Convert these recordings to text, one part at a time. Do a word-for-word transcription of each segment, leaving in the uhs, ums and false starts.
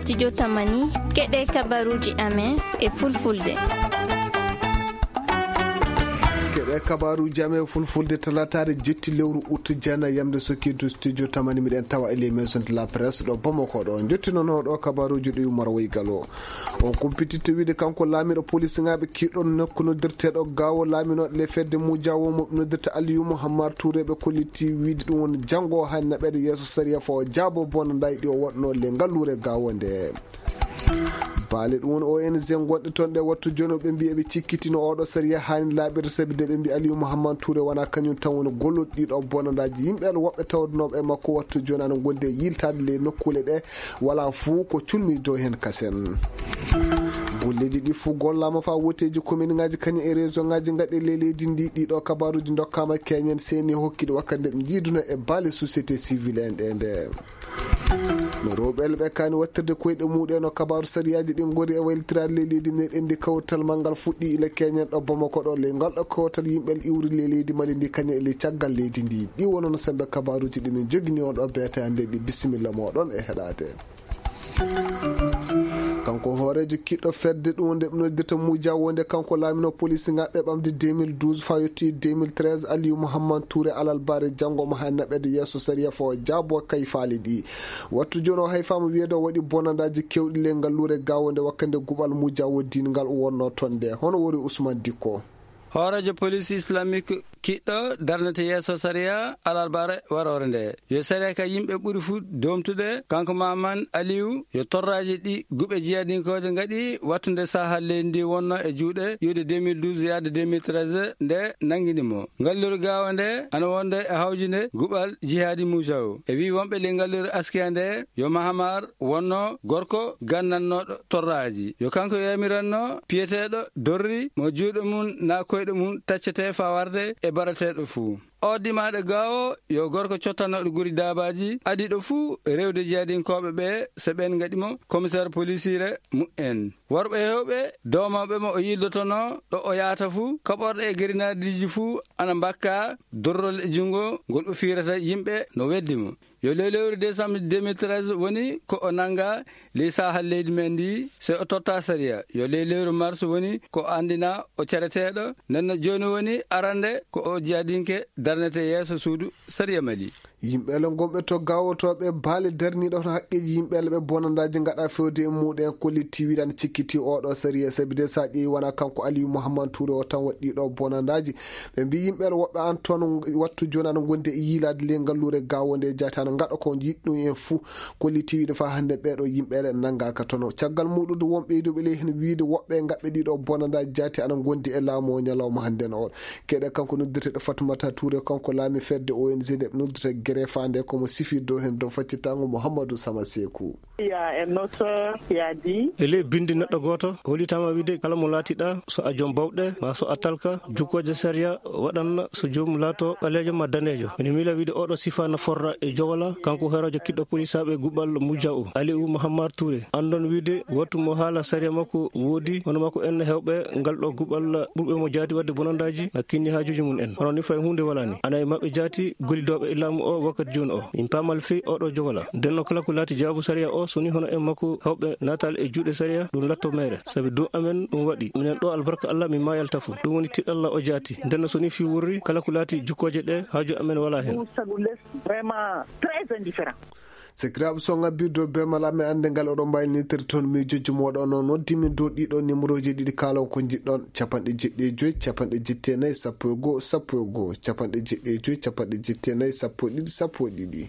Studio Tamani, keɗe kabaruji amen e fulfulde. Keɗe kabaruji amen e fulfulde talataare jetti lewru août jana yamde sokidu Studio Tamani miɗen tawa e les maisons de la presse ɗo Bamako ɗo. Jottinono ɗo kabaruji ɗi Umar Waygal o. On kumpititte wiide kanko laamiɗo polisingaɓe kiɗɗo nokku noddirteɗo Gaawo laaminoɗo le fedde Mujawo mo noddirta Aliyu Muhammad Touré ɓe kolliti wiide ɗum woni janngo hay naɓede yeeso sariya fo o jaabo bonandaji ɗi o waɗno le ngalluure Gaawo nde. Baale ɗum woni O N G gonɗe toon ɗe wattu jooni ɓe mbiya ɓe cikkitino oɗo sariya hani laaɓirde sabi de ɓe mbi Aliyu Muhammad Touré wona kañum tan woni golluɗo ɗiɗo bonandaji yimɓe woɓɓe tawdunoɓe e makko wattu jooni ana gondi e yiltade le nokkule ɗe wala fuu ko culmi dow heen kasen. Golleeji ɗi fuu gollaama faa wooteeji kominŋaaji kañum e région ŋaaji ngaɗe ley leydi ndi. Ɗiɗo kabaruuji ndokkaama keñen seeni hokkiiɗi wakkati nde ɓe njiiduno e baale société civile en ɗe nde. No rewɓe ɓe kaani wattirde koyɗe muɗen no kabaaru sariyaaji ɗi ngori e waylitiraade ley leydi meɗen ndi kawtal manngal fuɗɗi ila keñen ɗo Bamako ɗo ley ngal ɗo kawtal yimɓe iwri ley leydi Mali ndi kañum e ley caggal leydi ndi. Ɗi wonono sembe kabaaruuji ɗi min jogini on ɗo beete hannde ɗi bisimilla moɗon e heɗaade. Kanko hooreejo kiɗɗo fedde ɗum nde ɓe noddirta Muja wonde kanko laamino polisingaɓe ɓamde deux mille douze faa yotti deux mille treize Aliou Mouhammad Touré alal bare janngo mo hay naɓede yeeso sariya fo o jaabo kay faali ɗi. Wattu jooni o hay faama wiyeede o waɗi bonandaaji kewɗi le ngal luure gaawo nde wakkande guɓal Muja woddingal o wonno toon nde. Hono wori Ousmane Dikko. Hooreejo police islamique kiɗɗo darnete yeeso sariya alarbaare waroore nde. Yo sariya ka yimɓe ɓuri fuu doomtude, kanko Maman Aliou, yo torraaji ɗi guɓe jiyadinkooje ngaɗi wattunde saha leydi ndi wonno e juuɗe iwde deux mille douze yaade deux mille treize nde nanngini mo. Ngalluru gaawa nde ana wonde e hawjinde guɓal jihaadi Moujaou. E wii wonɓe ley ngalluru askiya nde yo Mahamar wonno gorko gannannooɗo torraaji. Yo kanko yamiranno piyeteeɗo dorri mo juuɗe mum naa koyɗe mum taccete faa warde e baɗateeɗo fuu. O dimaaɗo gaawo yo gorko cottanooɗo guri daabaaji adiiɗo fuu rewde jeyadinkooɓe ɓe so ɓeen ngaɗi mo komiseer polisiire mu'en. Worɓe heewɓe doomooɓe mo o yildotonoo ɗo o yahata fuu, kaɓorɗe e gerinaadiiji fuu ana mbakka dorrol e junngo ngol o fiirata yimɓe no weddi mo. Yo ley lewru décembre deux mille treize woni ko o nannga ley saha leydi men ndi, so o totta sariya. Yo ley lewru mars woni ko o anndina o cereteeɗo. Nden no jooni woni arande ko o jiyadinke darnete yeeso suudu sariya Mali. Yimɓe le gonɓe to gawotooɓe baale darniiɗo hono haqqeeji yimɓe le ɓe bonandaaji ngaɗa fewde e muɗen kolliti wiɗan cikkiti oɗo sariya sabi de sa ƴeewi wona kanko Aliou Mouhammad Touré o tan waɗɗi ɗo bonandaaji. Ɓe mbi yimɓe le woɓɓe an toon wattu jooni ana gondi e yiilaade le ngalluure gaawo nde jaati ana ngaɗa ko jiɗɗum en fuu. Kolliti wiide faa hannde ɓeeɗo yimɓe le nanngaaka toon. Caggal muɗum won ɓeyduɓe ley heen wiide woɓɓe ngaɓɓe ɗiɗo bonandaaji jaati ana gondi e laamu o ñalawma hannde no o. Keɗe kanko noddirteɗo Fatoumata Touré kanko laami fedde O N G nde ɓe noddirta Greffa nde komo sifii dow heen dow faccitango Mouhamadou Sama Sekou. Il y a un auteur qui a dit. E ley bindi neɗɗo gooto, hollitaama wiide kala mo laatiɗa, so a joom bawɗe, maa so a talka, jukkooje sariya waɗan so joom laato ɓaleejo maa daneejo. Ene miila wiide oɗo sifa na forra e Jogola, kanko hooreejo kiɗɗo polisaaɓe guɓal Mujja o, Aliou Mahamar Touré. Anndon wiide wattu mo haala sariya makko woodi, hono makko en heewɓe ngal ɗo guɓal ɓurɓe mo jaati waɗde bonandaaji, na kinni haajuuji mum en. Hono ni fay huunde walaani. Ana e maɓɓe jaati gollidooɓe e laamu o wakkati jooni o. Min paamal fii oɗo Jogola. Nden no kala ko laati jaabu sariya o, so ni hono en makko hawɓe naatal e juuɗe sariya, ɗum latto meere. Sabi dow amen ɗum waɗi. Minen ɗo albarka Allah min maayal tafo. Ɗum woni tiɗalla o jaati. Nden no so ni fii wurri, kala ko laati jukkooje ɗe, haaju amen walaa heen. Vraiment très indifférent. Sakiraaɓe so ngabbirde bee mala mi annde ngal oɗon mbaylinitir toon miijooji mooɗon o noddi min dow ɗiɗo numéroji ɗiɗi kaalon ko njiɗɗon, capanɗe jeɗɗi e joy, capanɗe jetti e nayi, sappo e goo, sappo e goo, capanɗe jeɗɗi e joy, capanɗe jetti e nayi, sappo e ɗiɗi, sappo e ɗiɗi.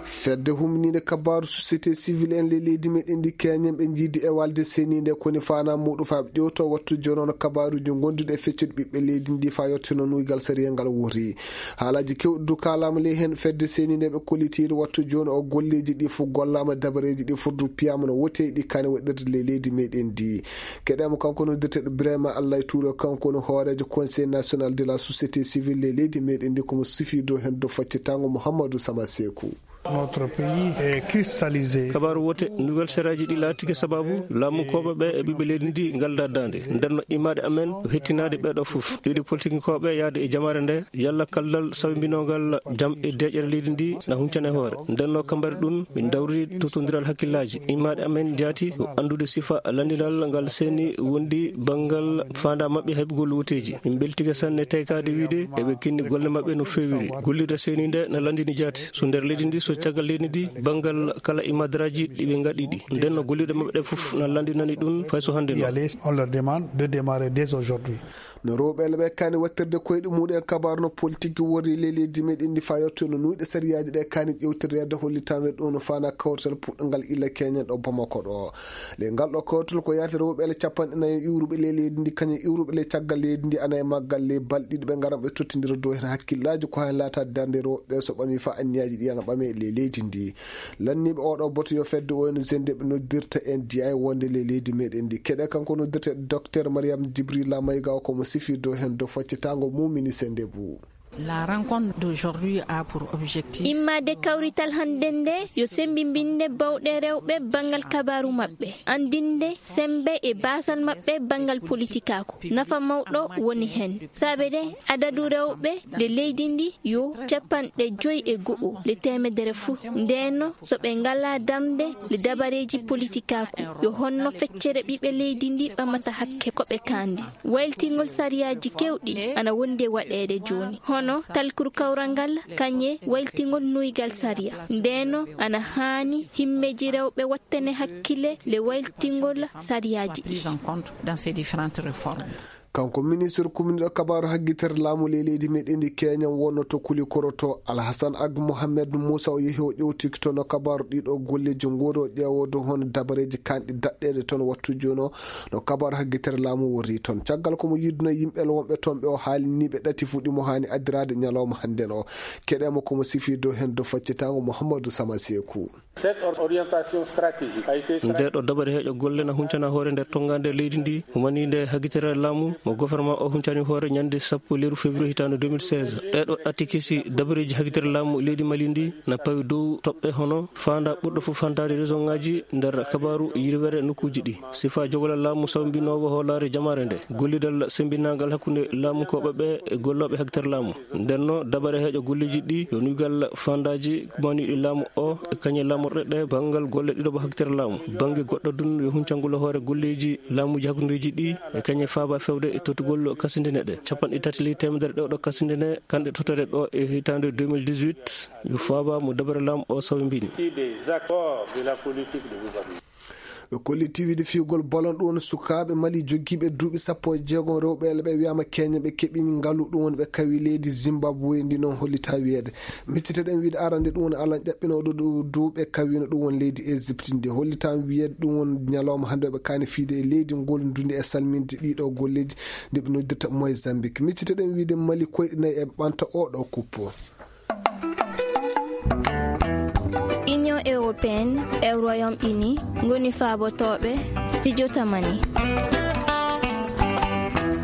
Fedde humniinde kabaaru société civile en ley leydi meɗen ndi keñen ɓe njiidi e walde seniinde koni faana muɗum faa ɓe ƴewto wattu jooni on kabaaruuji gonduɗi e feccude ɓiɓɓe leydi ndi faa yottino nuygal sariya ngal woti. Haalaaji kewɗi du kaalaama ley heen fedde seniinde ɓe kollitiiɗo wattu jooni o golleeji ɗi fof gollaama dabareeji ɗi fof du piyaama no wotee ɗi kane waɗirde ley leydi meɗen ndi. Keɗeemo kanko noddirteeɗo Birahima Allah e Tuuro kanko woni hooreejo Conseil national de la société civile ley leydi meɗen ndi komo sifii dow heen dow faccitango Mouhamadou Sama Sekou. Notre pays est cristallisé. Kabaaru wote, nouvelle seraaji ɗi laatike sababu laamunkooɓe ɓe e ɓiɓɓe leydi ndi ngalda daande. Nden no immaade amen ko hettinaade ɓeeɗo fof. Ɗiɗi politikinkooɓe yaade e jamaare nde, yalla kaldal sawmbinoogal jam e deeƴere leydi ndi na huncane hoore. Nden no kambari ɗum, min dawri totondiral hakkillaaji. Immaade amen jaati ko anndude sifa lanndinal ngal seeni wondi banngal faanda maɓɓe heɓgol woteeji. Min mbeltike sanne teykaade wiide eɓe kinni golle maɓɓe no feewiri. Gollirde seeni nde na lanndini jaati. So nder leydi ndi, so caggal leydi ndi, banngal kala e madaraaji ɗi ɓe ngaɗi ɗi. Nden no gollirɗe maɓɓe ɗe fof na lanndinani ɗum fay so hannde no. On leur demande de démarrer dès aujourd'hui. No rewɓe ɓe kaani wattirde koyɗe muɗum en kabaaru no politique worri ley leydi meɗen ndi faa yotto no nuyɗe sariyaaji ɗe kaani ƴewtirde hollitaanɓe ɗum no faana kawtal puɗɗangal illa keñen ɗo Bamako ɗo. Le ngal ɗo kawtal ko yaati rewɓe le capanɗe nayi iwruɓe ley leydi ndi, kañum iwruɓe le caggal leydi ndi ana e maggal le balɗe ɗiɗi ɓe ngaran ɓe tottindira dow heen hakkillaaji ko heen laata darnde rewɓe so ɓami faa anniyaaji ɗi ana ɓame ley leydi ndi. Lanniiɓe oɗo boto yo fedde O N G nde ɓe noddirta N D I wonde ley leydi meɗen ndi. Keɗe kanko noddirte Docteur Mariam Djibril Lamayga o ko mo sifi dow heen dow foccitaango mumini se ndebu. La rencontre d'aujourd'hui a pour objectif. Immaade kawrital hannden nde yo sembimbinde bawɗe rewɓe banngal kabaaru maɓɓe, anndinde semmbe e baasal maɓɓe banngal politikaaku. Nafa mawɗo woni heen. Saabe de adadu rewɓe nde leydi ndi yo capanɗe joy e go'o nde teemedere fuu. Ndeenno so ɓe ngalaa darnde nde dabareeji politikaaku, yo honno feccere ɓiɓɓe leydi ndi ɓamata hakke ko ɓe kaandi. Wayltingol sariyaaji keewɗi ana wondi e waɗeede jooni, hono talkuru kawral ngal, kañe wayltingol nuygal sariya. Ndeenno ana haani himmeeji rewɓe wattane hakkille le wayltingol sariyaaji ɗi. Prise en compte dans ces différentes réformes. Kanko ministre kumniɗo kabaaru haggitere laamu ley leydi meɗen ndi Keña wonno to Kuli Koroto, Alhassan Ag Mohamed Musa o yehi o ƴewtiki toon no kabaaru ɗiɗo golleeji nguuri o ƴeewodo hono dabareeji kanɗi daɗɗeede toon wattu jooni o no kabaaru haggitere laamu worri toon. Caggal ko mo yidduno yimɓe wonɓe toon ɓe o haalini ɓe ɗati fuɗɗi mo haani addiraade ñalawma hannden o. Keɗeemo ko mo sifi dow heen dow faccitaango Mouhamadou Sama Seeku. Cette or-, orientation stratégique a été Nde ɗo dabare heeƴo golle na huncana hoore nder tonngande leydi ndi, umaninde hagitere laamu mo gouvernement o huncani hoore ñande sappo lewru février hitaande deux mille seize. Ɗeɗo atikisi dabareeji hagitere laamu leydi Mali ndi na pawi dow toɓɓe hono faanda ɓurɗo fof fantaade région ngaji nder kabaaru yirwere nokkuuji ɗi. Sifa jogolal laamu sawmbinoowo hoolaare jamaare nde, gollidal sembinangal hakkunde laamunkooɓe ɓe e gollooɓe hagitere laamu. Ndenno dabare heeƴo golleeji ɗi yo nuygal fandaaji kumaniiɗi laamu o e kañe laamorɗe ɗe banngal golle ɗiɗo ba hagitere laamu. Bannge goɗɗo dun yo huncangol hoore golleeji laamuuji hakkundeeji ɗi e kañe faaba fewde e totugol kasindene ɗe. Capanɗe tati ley teemedere ɗe ɗo kasindene kanɗe totore ɗo e hitaande deux mille dix-huit yo faaba mo dabare laamu o sawi mbini. Des accords de la politique de gouvernement. Ɓe kollitii wiide fiyugol bolon ɗum woni sukaaɓe Mali jogiiɓe duuɓi sappo e jeegom rewɓe ele ɓe wiyaama keñe ɓe keɓi ngalu ɗum woni ɓe kawi leydi Zimbabwe ndi noon hollitaa wiyeede. Micciteɗen wiide arande ɗum woni alan ƴaɓɓinooɗo ɗo duuɓe kawiino ɗum woni leydi Égypte ndi hollitaa wiyeede ɗum woni ñalawma hannde ɓe kaani fiide e leydi ngol ndundi e salminde ɗiɗo golleeji nde ɓe noddirta Mozambique. Micciteɗen wiide Mali koyɗe nayi e ɓanta oɗo kuppo. Union européenne e Royaume-Uni ngoni faabotooɓe studio Tamani.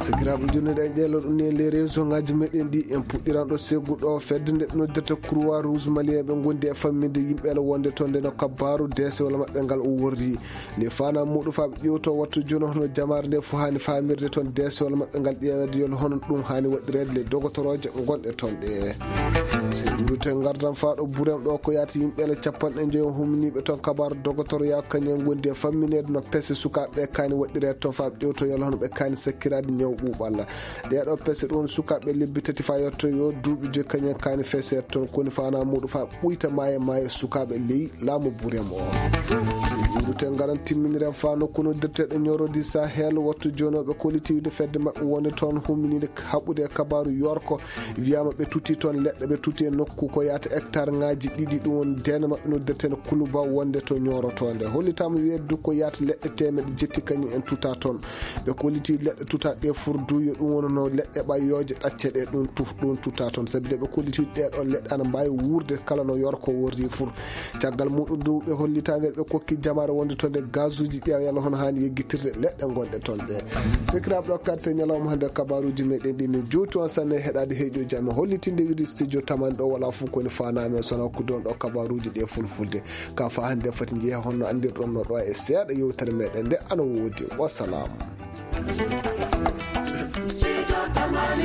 Sakiraaɓe, jooni ɗen ƴeelo ɗum ni e les réseau ngaji meɗen ɗi en puɗɗiran ɗo segu ɗo fedde nde noddirta Croix Rouge Malien ɓe gondi e famminde yimɓe ala wonde toon nde no kabaaru deesewol maɓɓe ngal o worri. Nde faanaa muɗum faa ɓe ƴeewtoo wattu jooni hono jamaare nde fof haani faamirde toon deesewol maɓɓe ngal ƴeeweede yol hono ɗum haani waɗireede le dogotorooje gonɗe toon ɗe. Si ɗuurute ngardan faa ɗo burem ɗo ko yaata yimɓe ele capanɗe njoyo humniiɓe toon kabaaru dogotoro yaa kañum ngondi e fammineede no pese sukaaɓe ɓe kaani waɗireede toon faa ɓe ƴeewtoo yol hono ɓe kaani sakkiraade ñaw ɓuuɓal. Ɗee ɗo pese ɗum woni sukaaɓe lebbi tati faa yotto yo duuɓi joyi kañum kaani feseede toon koni faanaa muɗum faa ɓuyta maayo maayo sukaaɓe ley laamu burem o. Si ɗuurute ngaran timminiren faa nokku noddirteeɗo ñorodi Sahel wattu jooni o ɓe kollitiiwde fedde maɓɓe wonde toon humminiinde haɓude e kabaaru yorko wiyaama ɓe tuti toon leɗɗe ɓe tuti e nokku ko yaata hectare ngaji ɗiɗi ɗum woni deene maɓɓe noddirteeɗo Kuluba wonde to ñorotoonde hollitaama wiyeede du ko yaata leɗɗe teemeɗe jetti kañum en tuta toon ɓe kolliti leɗɗe tuta ɗe fof. Ɓurdu yo ɗum wonano leɗɗe ɓayyooje ɗacce ɗe ɗum tuf-, ɗum tuta toon. Sabi nde ɓe kolliti ɗee ɗoon leɗɗe ana mbaawi wuurde kala no yorko worri fur. Caggal muɗum du ɓe hollitaange ɓe kokki jamaare wonde to nde gazuuji ƴeewa yalla hono haani yeggitirde leɗɗe ngonɗe toon ɗe. Sikiraaɓe ɗo karte ñalawma hannde kabaruuji meɗen ɗi ne juuti on sanne heɗaade heeƴo jam e hollitinde wiɗi studio taman ɗo wala fof koni faanaami e sona hokkude on ɗo kabaruuji ɗi e fulfulde. Ka fa hannde foti njeeya honno anndirɗon no ɗo e seeɗa yewtere meɗen nde ana woodi. Wasalaam. Studio Tamani.